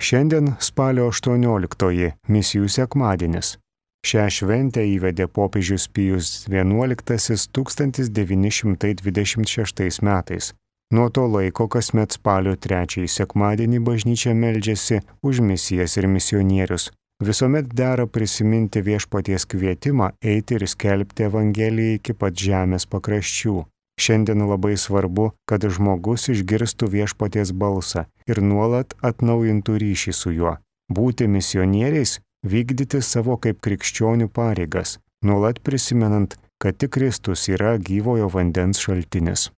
Šiandien spalio 18 misijų sekmadienis. Šią šventę įvedė popiežius Pijus XI 1926 metais. Nuo to laiko kasmet spalio 3 sekmadienį bažnyčia meldžiasi už misijas ir misionierius. Visuomet dera prisiminti viešpaties kvietimą eiti ir skelbti Evangeliją iki pat žemės pakraščių. Šiandien labai svarbu, kad žmogus išgirstų viešpaties balsą ir nuolat atnaujintų ryšį su juo. Būti misionieriais, vykdyti savo kaip krikščionių pareigas, nuolat prisimenant, kad tik Kristus yra gyvojo vandens šaltinis.